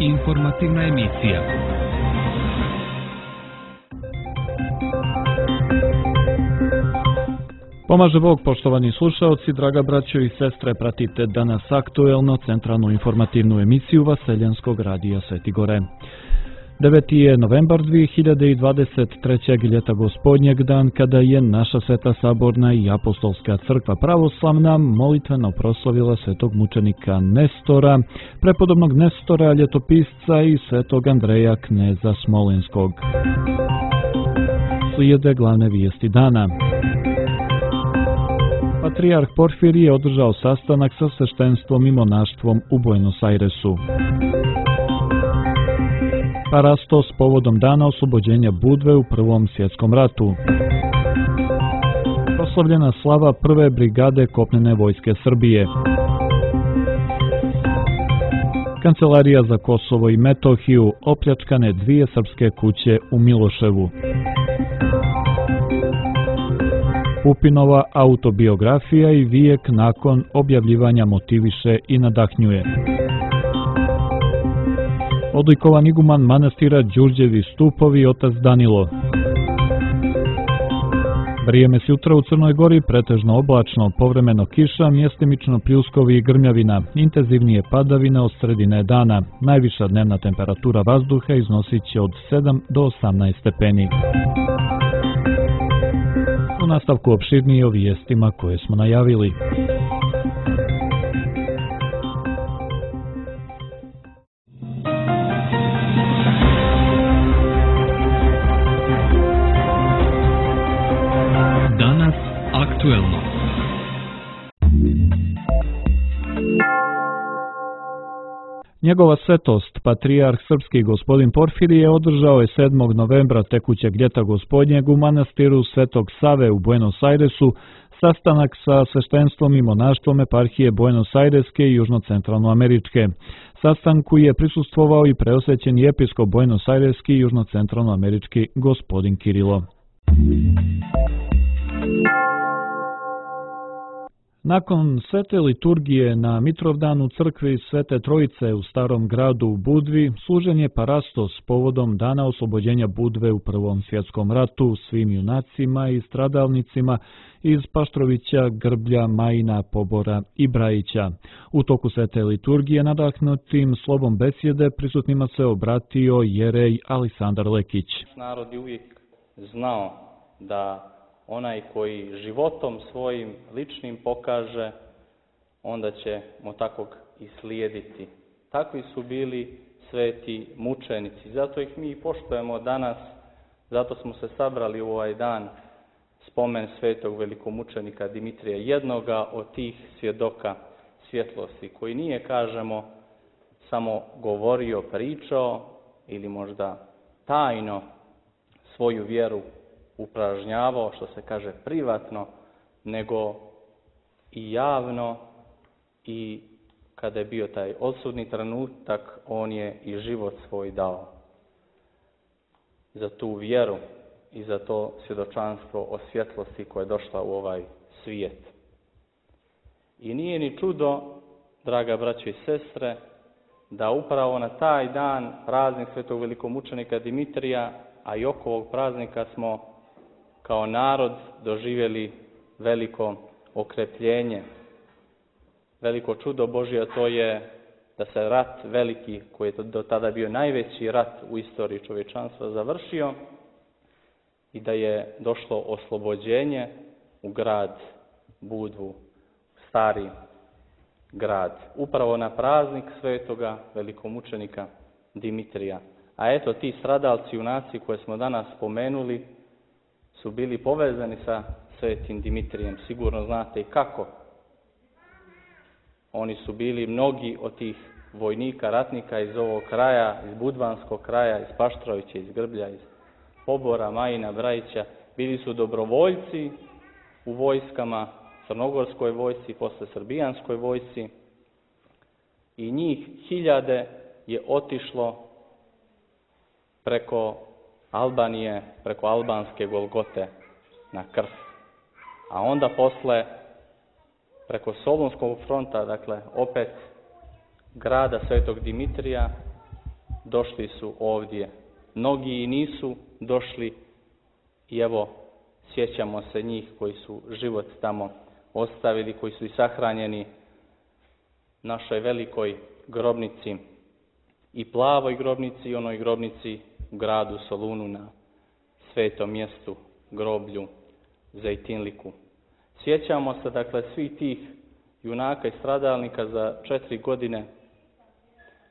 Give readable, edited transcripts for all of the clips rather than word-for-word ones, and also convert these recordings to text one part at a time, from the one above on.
Informativna emisija. Pomaže Bog, poštovani slušaoci, draga braćo i sestre, pratite danas aktuelno centralnu informativnu emisiju Vaseljanskog radija Sveti Gore. 9. je novembar 2023. ljeta gospodnjeg, dan kada je naša Sveta Saborna i Apostolska crkva pravoslavna molitveno proslavila svetog mučenika Nestora, prepodobnog Nestora ljetopisca i svetog Andreja kneza Smolenskog. Slijede glavne vijesti dana. Patrijarh Porfirije je održao sastanak sa sveštenstvom i monaštvom u Buenos Airesu. Parastos povodom dana oslobođenja Budve u Prvom svjetskom ratu. Proslavljena slava prve brigade kopnene vojske Srbije. Kancelarija za Kosovo i Metohiju, opljačkane 2 srpske kuće u Miloševu. Pupinova autobiografija i vijek nakon objavljivanja motiviše i nadahnjuje. Odlikovan iguman manastira Đurđevi stupovi otac Danilo. Vrijeme s jutra u Crnoj Gori pretežno oblačno, povremeno kiša, mjestimično pljuskovi i grmljavina, intenzivnije padavine od sredine dana. Najviša dnevna temperatura vazduha iznosit će od 7 do 18 stepeni. U nastavku opširnije o vijestima koje smo najavili. Danas aktuelno. Njegova svetost, patrijarh srpski gospodin Porfirije, održao je 7. novembra tekućeg ljeta gospodnjeg u manastiru Svetog Save u Buenos Airesu sastanak sa sveštenstvom i monaštvom eparhije Buenos Aireske i južnocentralnoameričke. Sastanku je prisustvovao i preosvećeni episkop Buenos Aireski i južnocentralnoamerički gospodin Kirilo. Nakon svete liturgije na Mitrovdan u crkvi Svete Trojice u Starom gradu u Budvi, služen je parastos povodom dana oslobođenja Budve u Prvom svjetskom ratu svim junacima i stradalnicima iz Paštrovića, Grblja, Majina, Pobora i Brajića. U toku svete liturgije nadahnutim slovom besjede prisutnima se obratio jerej Alisandar Lekić. Narod je uvijek znao da onaj koji životom svojim ličnim pokaže, onda ćemo takvog i slijediti. Takvi su bili sveti mučenici. Zato ih mi poštujemo danas, zato smo se sabrali u ovaj dan spomen svetog velikomučenika Dimitrija, jednoga od tih svjedoka svjetlosti, koji nije, kažemo, samo govorio, pričao ili možda tajno svoju vjeru upražnjavao, što se kaže privatno, nego i javno, i kada je bio taj odsudni trenutak, on je i život svoj dao za tu vjeru i za to svjedočanstvo o svjetlosti koja je došla u ovaj svijet. I nije ni čudo, draga braćo i sestre, da upravo na taj dan, praznik svetog velikomučenika Dimitrija, a i oko ovog praznika smo kao narod doživjeli veliko okrepljenje. Veliko čudo Božje, to je da se rat veliki, koji je do tada bio najveći rat u istoriji čovječanstva, završio i da je došlo oslobođenje u grad Budvu, stari grad. Upravo na praznik svetoga velikomučenika Dimitrija. A eto, ti stradalci, junaci koje smo danas spomenuli, su bili povezani sa svetim Dimitrijem. Sigurno znate i kako. Oni su bili mnogi od tih vojnika, ratnika iz ovog kraja, iz Budvanskog kraja, iz Paštrovića, iz Grblja, iz Pobora, Majina, Brajića. Bili su dobrovoljci u vojskama, crnogorskoj vojsci, posle srbijanskoj vojsci. I njih hiljade je otišlo preko Albanije, preko albanske Golgote na krst. A onda posle preko Solunskog fronta, dakle opet grada Svetog Dimitrija, došli su ovdje. Mnogi i nisu došli i evo, sjećamo se njih koji su život tamo ostavili, koji su i sahranjeni našoj velikoj grobnici i plavoj grobnici i onoj grobnici u gradu Solunu na svetom mjestu, groblju Zejtinliku. Sjećamo se dakle svih tih junaka i stradalnika za 4 godine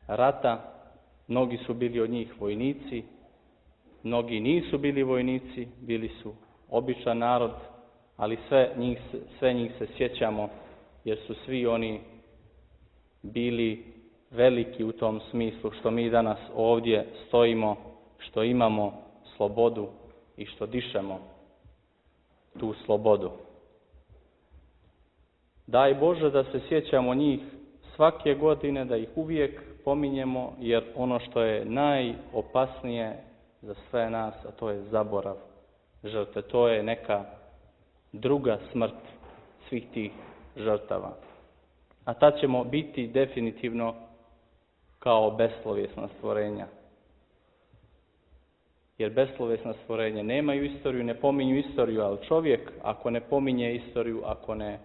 rata. Mnogi su bili od njih vojnici, mnogi nisu bili vojnici, bili su običan narod, ali sve njih se sjećamo jer su svi oni bili veliki u tom smislu što mi danas ovdje stojimo, što imamo slobodu i što dišemo tu slobodu. Daj Bože da se sjećamo njih svake godine, da ih uvijek pominjemo, jer ono što je najopasnije za sve nas, a to je zaborav žrtve, to je neka druga smrt svih tih žrtava. A tad ćemo biti definitivno kao beslovjesna stvorenja. Jer beslovjesna stvorenja nemaju istoriju, ne pominju istoriju, ali čovjek ako ne pominje istoriju, ako ne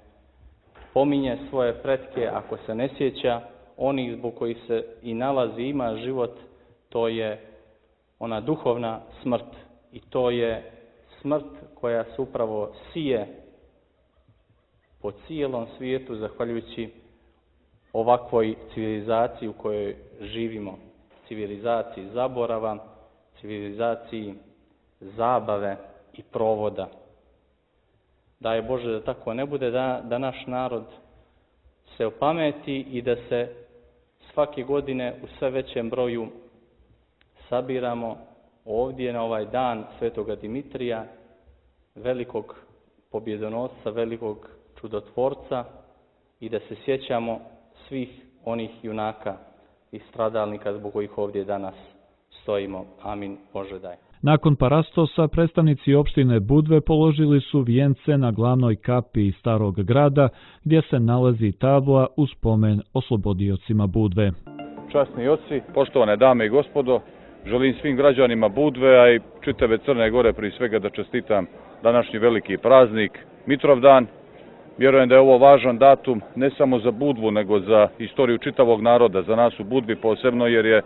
pominje svoje pretke, ako se ne sjeća onih zbog kojih se i nalazi, ima život, to je ona duhovna smrt. I to je smrt koja se upravo sije po cijelom svijetu, zahvaljujući ovakvoj civilizaciji u kojoj živimo. Civilizaciji zaborava, civilizaciji zabave i provoda. Daj Bože da tako ne bude, da naš narod se opameti i da se svake godine u sve većem broju sabiramo ovdje na ovaj dan Svetoga Dimitrija, velikog pobjedonosca, velikog čudotvorca, i da se sjećamo svih onih junaka i stradalnika zbog kojih ovdje danas stojimo. Amin. Bože daj. Nakon parastosa, predstavnici opštine Budve položili su vijence na glavnoj kapi Starog grada, gdje se nalazi tabla u spomen oslobodiocima Budve. Časni oci, poštovane dame i gospodo, želim svim građanima Budve, a i čitave Crne Gore prije svega da čestitam današnji veliki praznik, Mitrovdan. Vjerujem da je ovo važan datum ne samo za Budvu, nego za istoriju čitavog naroda, za nas u Budvi posebno, jer je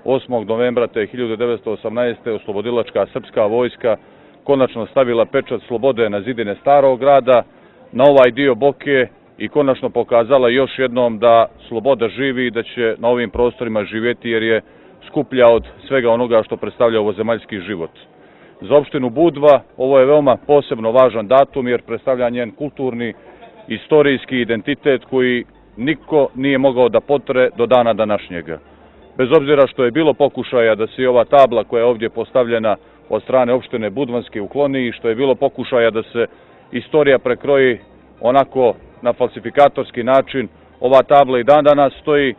8. novembra te 1918. oslobodilačka srpska vojska konačno stavila pečat slobode na zidine Starog grada, na ovaj dio Boke, i konačno pokazala još jednom da sloboda živi i da će na ovim prostorima živjeti, jer je skuplja od svega onoga što predstavlja ovozemaljski život. Za opštinu Budva ovo je veoma posebno važan datum, jer predstavlja njen kulturni, istorijski identitet koji niko nije mogao da potre do dana današnjega. Bez obzira što je bilo pokušaja da se i ova tabla koja je ovdje postavljena od strane opštine Budvanske ukloni i što je bilo pokušaja da se istorija prekroji onako na falsifikatorski način, ova tabla i dan danas stoji.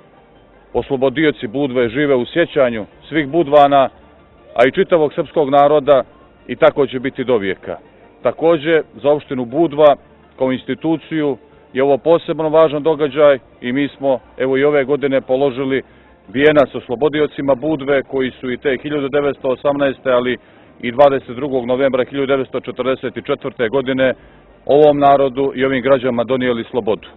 Oslobodioci Budve žive u sjećanju svih Budvana, a i čitavog srpskog naroda, i tako će biti do vijeka. Također, za opštinu Budva kao instituciju je ovo posebno važan događaj i mi smo evo i ove godine položili vijenac oslobodiocima Budve koji su i te 1918. ali i 22. novembra 1944. godine ovom narodu i ovim građanima donijeli slobodu.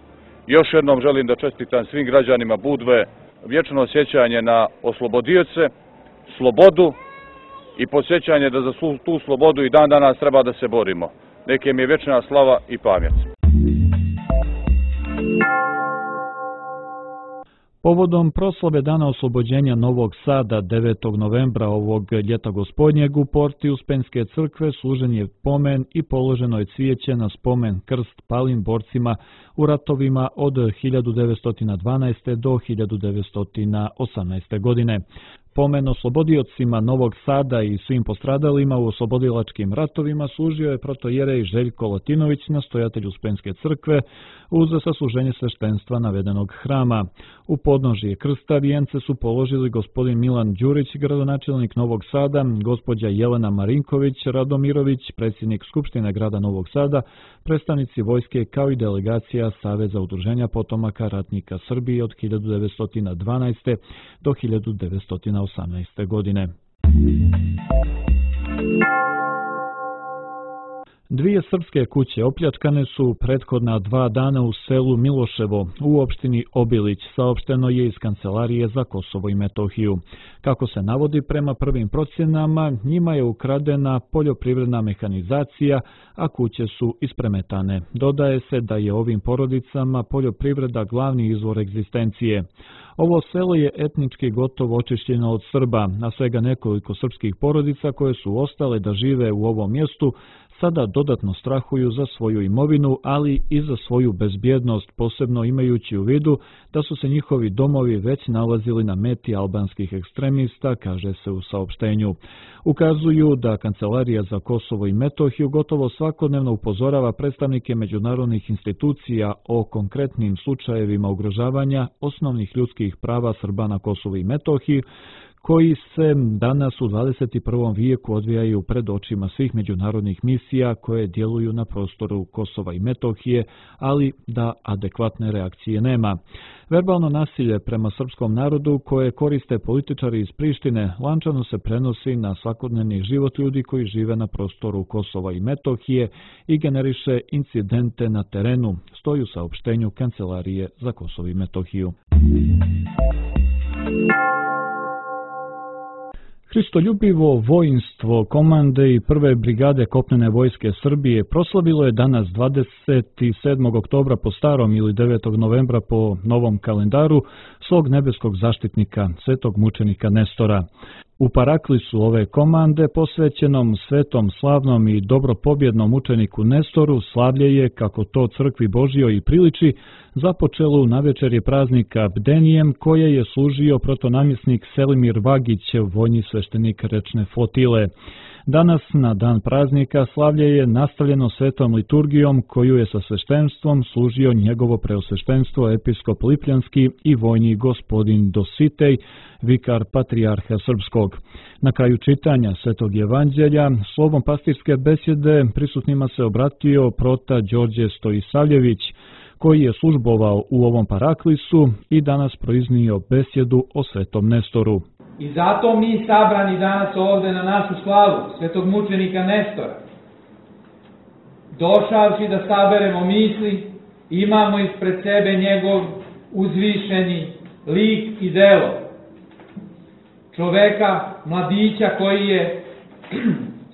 Još jednom želim da čestitam svim građanima Budve vječno sjećanje na oslobodioce, slobodu i podsjećanje da za tu slobodu i dan danas treba da se borimo. Neka im je vječna slava i pamjet. Povodom proslave Dana oslobođenja Novog Sada 9. novembra ovog ljeta gospodnjeg u porti Uspenjske crkve služen je pomen i položeno je cvijeće na spomen krst palim borcima u ratovima od 1912. do 1918. godine. Pomen oslobodiocima Novog Sada i svim postradalima u oslobodilačkim ratovima služio je protojerej Željko Latinović, nastojatelj Uspenjske crkve, uz sasluženje sveštenstva navedenog hrama. U podnožje krsta vijence su položili gospodin Milan Đurić, gradonačelnik Novog Sada, gospođa Jelena Marinković Radomirović, predsjednik Skupštine grada Novog Sada, predstavnici vojske kao i delegacija Saveza udruženja potomaka ratnika Srbije od 1912. do 1918. 2018. godine. Dvije srpske kuće opljačkane su prethodna 2 dana u selu Miloševo u opštini Obilić, saopšteno je iz Kancelarije za Kosovo i Metohiju. Kako se navodi, prema prvim procjenama, njima je ukradena poljoprivredna mehanizacija, a kuće su ispremetane. Dodaje se da je ovim porodicama poljoprivreda glavni izvor egzistencije. Ovo selo je etnički gotovo očišćeno od Srba, a svega nekoliko srpskih porodica koje su ostale da žive u ovom mjestu sada dodatno strahuju za svoju imovinu, ali i za svoju bezbjednost, posebno imajući u vidu da su se njihovi domovi već nalazili na meti albanskih ekstremista, kaže se u saopštenju. Ukazuju da Kancelarija za Kosovo i Metohiju gotovo svakodnevno upozorava predstavnike međunarodnih institucija o konkretnim slučajevima ugrožavanja osnovnih ljudskih prava Srba na Kosovu i Metohiji, koji se danas u 21. vijeku odvijaju pred očima svih međunarodnih misija koje djeluju na prostoru Kosova i Metohije, ali da adekvatne reakcije nema. Verbalno nasilje prema srpskom narodu koje koriste političari iz Prištine lančano se prenosi na svakodnevni život ljudi koji žive na prostoru Kosova i Metohije i generiše incidente na terenu, stoji u saopštenju Kancelarije za Kosovo i Metohiju. Hristoljubivo vojnstvo komande i prve brigade kopnene vojske Srbije proslavilo je danas 27. oktobra po starom ili 9. novembra po novom kalendaru svog nebeskog zaštitnika, svetog mučenika Nestora. U paraklisu ove komande, posvećenom svetom, slavnom i dobropobjednom mučeniku Nestoru, slavlje je, kako to crkvi Božjoj i priliči, započelo na večerje praznika Bdenijem, koje je služio protonamjesnik Selimir Vagić, vojni sveštenik rečne flotile. Danas, na dan praznika, slavlje je nastavljeno svetom liturgijom koju je sa sveštenstvom služio njegovo preosveštenstvo episkop Lipljanski i vojni gospodin Dositej, vikar patrijarha Srpskog. Na kraju čitanja Svetog evanđelja, slovom pastirske besjede prisutnima se obratio prota Đorđe Stojisavljević, koji je službovao u ovom paraklisu i danas proiznio besjedu o svetom Nestoru. I zato mi sabrani danas ovde na našu slavu svetog mučenika Nestora, došavši da saberemo misli, imamo ispred sebe njegov uzvišeni lik i delo. Čoveka, mladića koji je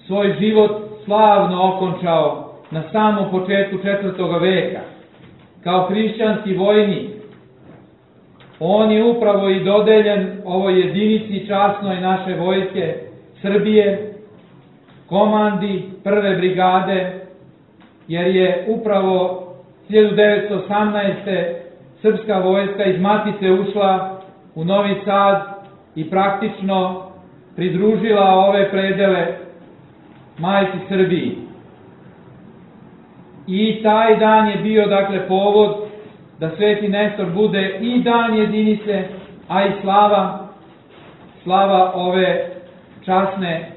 svoj život slavno okončao na samom početku 4. veka, kao hrišćanski vojnik. On je upravo i dodeljen ovoj jedinici časnoj naše vojske Srbije, komandi prve brigade, jer je upravo 1918. srpska vojska iz Matice ušla u Novi Sad i praktično pridružila ove predele majci Srbiji. I taj dan je bio, dakle, povod da Sveti Nestor bude i dan jedinice, a i slava ove časne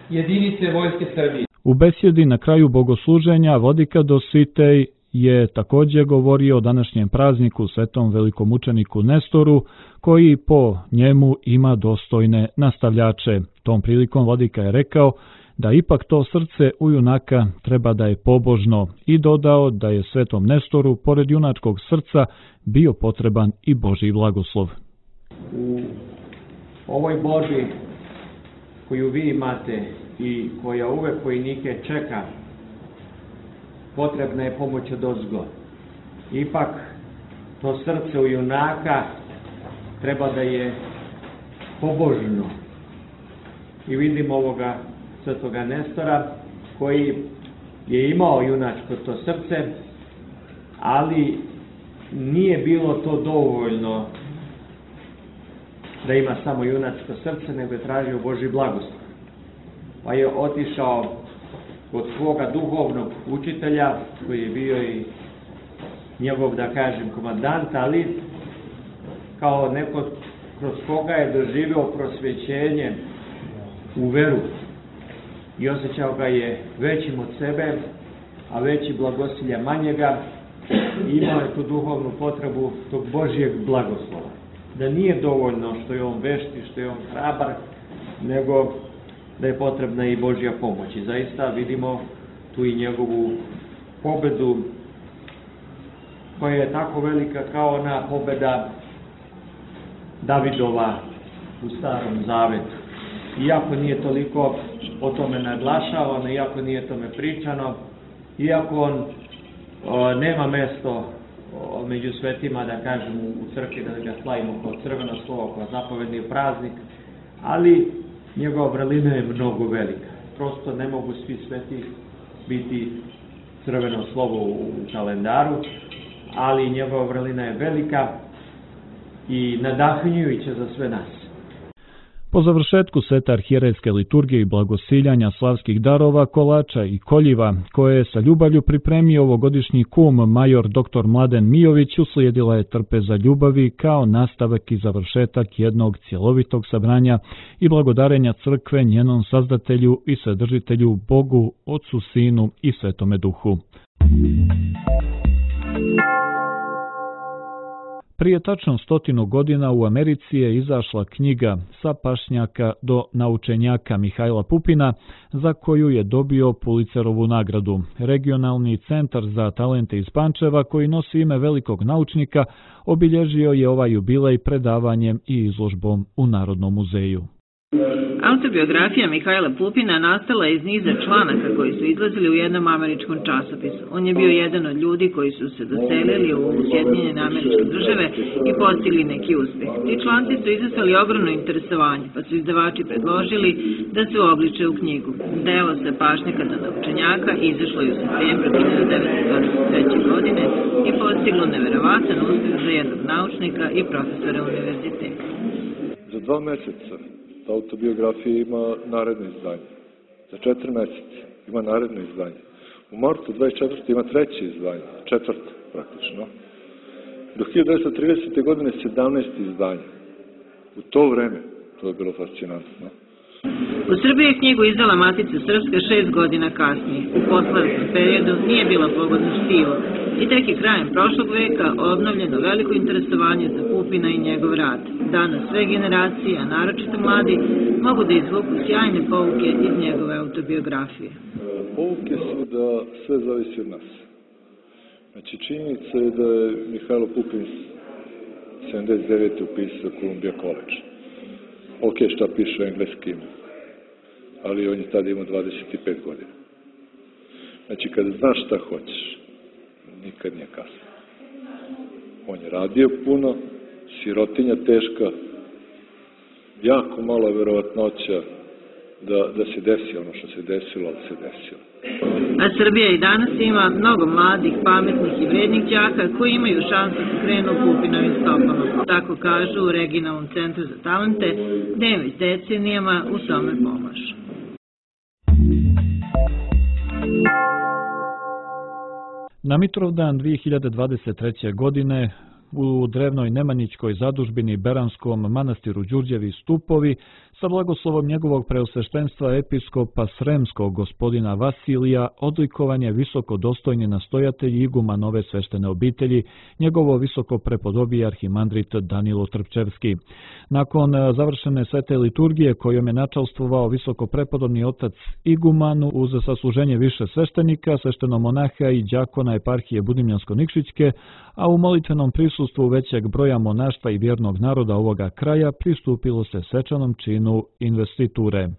jedinice vojske Srbije. U besjedi na kraju bogosluženja vladika Dositej je također govorio o današnjem prazniku svetom velikomučeniku Nestoru, koji po njemu ima dostojne nastavljače. Tom prilikom vladika je rekao da ipak to srce u junaka treba da je pobožno i dodao da je svetom Nestoru, pored junačkog srca, bio potreban i Božji blagoslov. U ovoj borbi koju vi imate i koja uvek vojnike čeka, potrebna je pomoć odozgo. Ipak to srce u junaka treba da je pobožno. I vidimo ovoga svetoga Nestora koji je imao junačko to srce, ali nije bilo to dovoljno da ima samo junačko srce, nego je tražio Božji blagoslov. Pa je otišao kod svoga duhovnog učitelja, koji je bio i njegov, da kažem, komandant, ali kao neko kroz koga je doživio prosvećenje u veru i osjećao ga je većim od sebe, a veći blagosilja manjega, i imao je tu duhovnu potrebu tog Božjeg blagoslova. da nije dovoljno što je on vešt i što je on hrabar, nego da je potrebna i Božja pomoć. I zaista vidimo tu i njegovu pobedu koja je tako velika kao ona pobeda Davidova u Starom Zavetu. Iako nije toliko o tome naglašavano, iako nije tome pričano, iako on nema mesto među svetima, da kažem, u crkvi, da ga slavimo kao crveno slovo, kao zapovedni praznik, ali njegova vrlina je mnogo velika. Prosto ne mogu svi sveti biti crveno slovo u kalendaru, ali njegova vrlina je velika i nadahnjujuća za sve nas. Po završetku svete arhijerejske liturgije i blagosiljanja slavskih darova, kolača i koljiva, koje je sa ljubavlju pripremio ovogodišnji kum major dr. Mladen Mijović, uslijedila je trpeza ljubavi kao nastavak i završetak jednog cjelovitog sabranja i blagodarenja crkve njenom sazdatelju i svedržitelju Bogu, Otcu, Sinu i Svetome Duhu. Prije tačno 100 godina u Americi je izašla knjiga Sa pašnjaka do naučenjaka Mihajla Pupina, za koju je dobio Pulitzerovu nagradu. Regionalni centar za talente iz Pančeva, koji nosi ime velikog naučnika, obilježio je ovaj jubilej predavanjem i izložbom u Narodnom muzeju. Autobiografija Mihajla Pupina nastala je iz niza članaka koji su izlazili u jednom američkom časopisu. On je bio jedan od ljudi koji su se doselili u Sjedinjene Američke Države i postigli neki uspeh. Ti članci su izazvali ogromno interesovanje, pa su izdavači predložili da se uobliče u knjigu. Delo Sa pašnjaka do naučenjaka izašlo je u septembru 1923. godine i postiglo neverovatan uspeh za jednog naučnika i profesora univerziteta. Za 2 meseca ta autobiografija ima naredno izdanje. Za 4 meseca ima naredno izdanje. U martu 24. ima 3. izdanje, 4. praktično. Do 1930. godine 17. izdanje. U to vreme to je bilo fascinantno. U Srbiji je knjigu izdala Matica Srpska 6 godina kasnije. U posleratnom periodu nije bila pogodno štivo i tek je krajem prošlog veka obnovljeno veliko interesovanje za Pupina i njegov rad. Danas sve generacije, a naročito mladi, mogu da izvuku sjajne pouke iz njegove autobiografije. Pouke su da sve zavisi od nas. Znači, činjenica je da je Mihajlo Pupin 79. upisao Columbia College. Ok, šta piše engleskim, ali on je tada imao 25 godina. Znači, kada znaš šta hoćeš, nikad nije kasno. On je radio puno, sirotinja teška, jako mala verovatnoća da se desi ono što se desilo, ali se desilo. A Srbija i danas ima mnogo mladih, pametnih i vrednih đaka koji imaju šansu da krenu Pupinovim stopama. Tako kažu u Regionalnom centru za talente, gde im već decenijama u tome pomažu. Na Mitrovdan 2023. godine u drevnoj Nemanjićkoj zadužbini Beranskom manastiru Đurđevi stupovi sa blagoslovom njegovog preosveštenstva episkopa Sremskog gospodina Vasilija odlikovan je visoko dostojni nastojatelj igumanove sveštene obitelji, njegovo visoko prepodobije arhimandrit Danilo Trpčevski. Nakon završene svete liturgije kojom je načalstvovao visoko prepodobni otac igumanu uz sasluženje više sveštenika, sveštenomonaha i đakona eparhije Budimljansko-Nikšićke, a u molitvenom prisustvu većeg broja monaštva i vjernog naroda ovoga kraja pristupilo se svečanom činu investiture.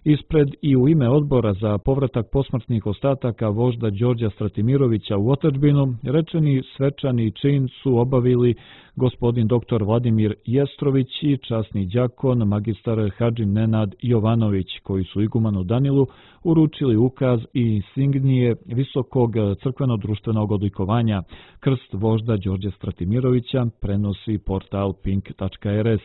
Ispred i u ime odbora za povratak posmrtnih ostataka vožda Đorđa Stratimirovića u otadžbinu, rečeni svečani čin su obavili gospodin dr. Vladimir Jestrović i časni đakon magistar Hadži Nenad Jovanović, koji su igumanu Danilu uručili ukaz i insignije visokog crkveno-društvenog odlikovanja. Krst vožda Đorđa Stratimirovića prenosi portal pink.rs.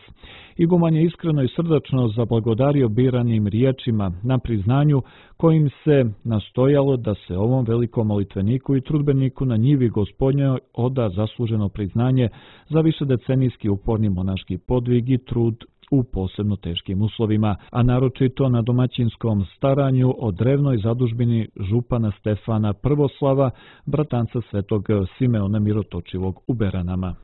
Iguman je iskreno i srdačno zablagodario biranim riječima na priznanju kojim se nastojalo da se ovom velikom molitveniku i trudbeniku na njivi Gospodnjoj oda zasluženo priznanje za višedecenijski uporni monaški podvig i trud u posebno teškim uslovima, a naročito na domaćinskom staranju o drevnoj zadužbini župana Stefana Prvoslava, bratanca svetog Simeona Mirotočivog u Beranama.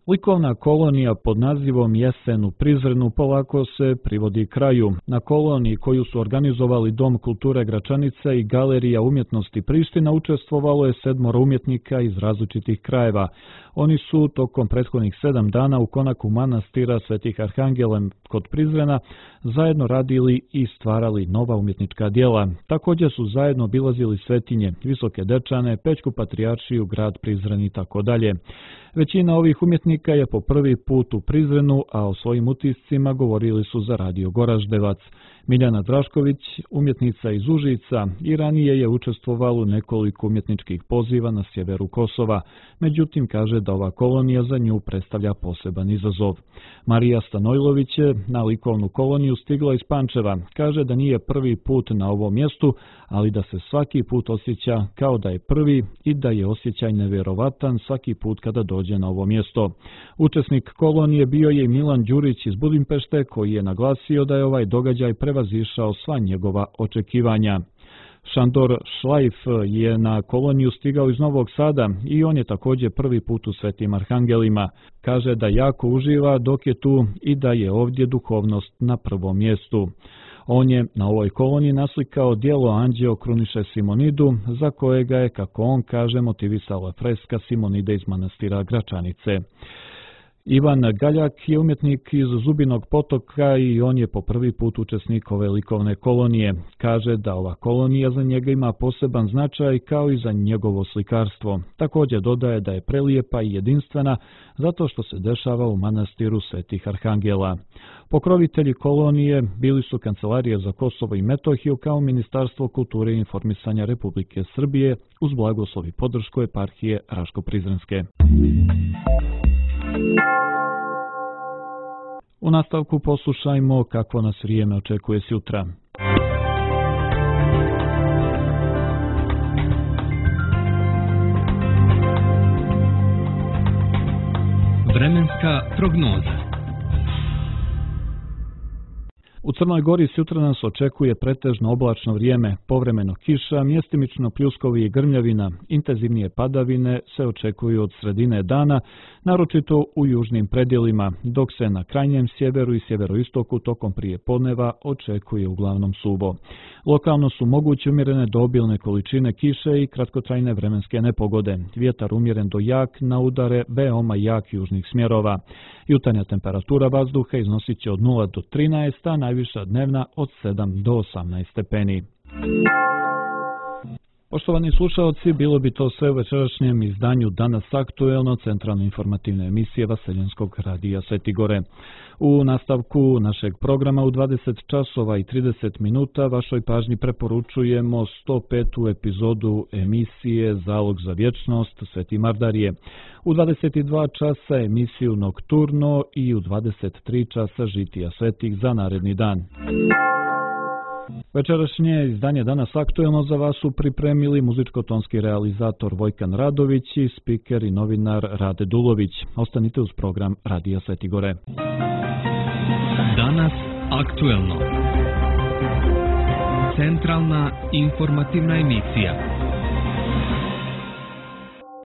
Likovna kolonija pod nazivom Jesen u Prizrenu polako se privodi kraju. Na koloniji koju su organizovali Dom kulture Gračanica i Galerija umjetnosti Priština učestvovalo je 7 umjetnika iz različitih krajeva. Oni su tokom prethodnih 7 dana u konaku manastira Svetih Arhangela kod Prizrena zajedno radili i stvarali nova umjetnička djela. Također su zajedno obilazili Svetinje, Visoke Dečane, Pećku Patrijaršiju, grad Prizren i tako dalje. Većina ovih umjetnika je po prvi put u Prizrenu, a o svojim utiscima govorili su za Radio Goraždevac. Miljana Drašković, umjetnica iz Užica, i ranije je učestvovala u nekoliko umjetničkih poziva na sjeveru Kosova, međutim kaže da ova kolonija za nju predstavlja poseban izazov. Marija Stanojlović je na likovnu koloniju stigla iz Pančeva, kaže da nije prvi put na ovom mjestu, ali da se svaki put osjeća kao da je prvi i da je osjećaj nevjerovatan svaki put kada dođe na ovo mjesto. Učesnik kolonije bio je Milan Đurić iz Budimpešte, koji je naglasio da je ovaj događaj prevazišao sva njegova očekivanja. Šandor Šlajf je na koloniju stigao iz Novog Sada i on je također prvi put u Svetim Arhangelima. Kaže da jako uživa dok je tu i da je ovdje duhovnost na prvom mjestu. On je na ovoj koloniji naslikao djelo Anđeo kruniše Simonidu, za kojega je, kako on kaže, motivisala freska Simonide iz manastira Gračanice. Ivan Galjak je umjetnik iz Zubinog Potoka i on je po prvi put učesnik ove likovne kolonije. Kaže da ova kolonija za njega ima poseban značaj kao i za njegovo slikarstvo. Također dodaje da je prelijepa i jedinstvena zato što se dešava u manastiru Svetih Arhangela. Pokrovitelji kolonije bili su Kancelarija za Kosovo i Metohiju kao Ministarstvo kulture i informisanja Republike Srbije uz blagoslov i podršku eparhije Raško-Prizrenske. U nastavku poslušajmo kakvo nas vrijeme očekuje sutra. Vremenska prognoza. U Crnoj Gori sutra nas očekuje pretežno oblačno vrijeme, povremeno kiša, mjestimično pljuskovi i grmljavina. Intenzivnije padavine se očekuju od sredine dana, naročito u južnim predjelima, dok se na krajnjem sjeveru i sjeveroistoku tokom prijepodneva očekuje uglavnom suvo. Lokalno su moguće umjerene do obilne količine kiše i kratkotrajne vremenske nepogode. Vjetar umjeren do jak na udare veoma jak južnih smjerova. Jutarnja temperatura vazduha iznosit će od 0 do 13, a najviša dnevna od 7 do 18 stepeni. Poštovani slušalci, bilo bi to sve u večerašnjem izdanju Danas aktuelno, centralne informativne emisije Vaseljenskog radija Sveti Gore. U nastavku našeg programa u 20 časova i 30 minuta vašoj pažnji preporučujemo 105. epizodu emisije Zalog za vječnost Sveti Mardarije. U 22 časa emisiju Nokturno i u 23 časa Žitija svetih za naredni dan. Večerašnje izdanje Danas aktuelno za vas su pripremili muzičko-tonski realizator Vojkan Radović i spiker i novinar Rade Dulović. Ostanite uz program Radija Sveti Gore. Danas aktuelno. Centralna informativna emisija.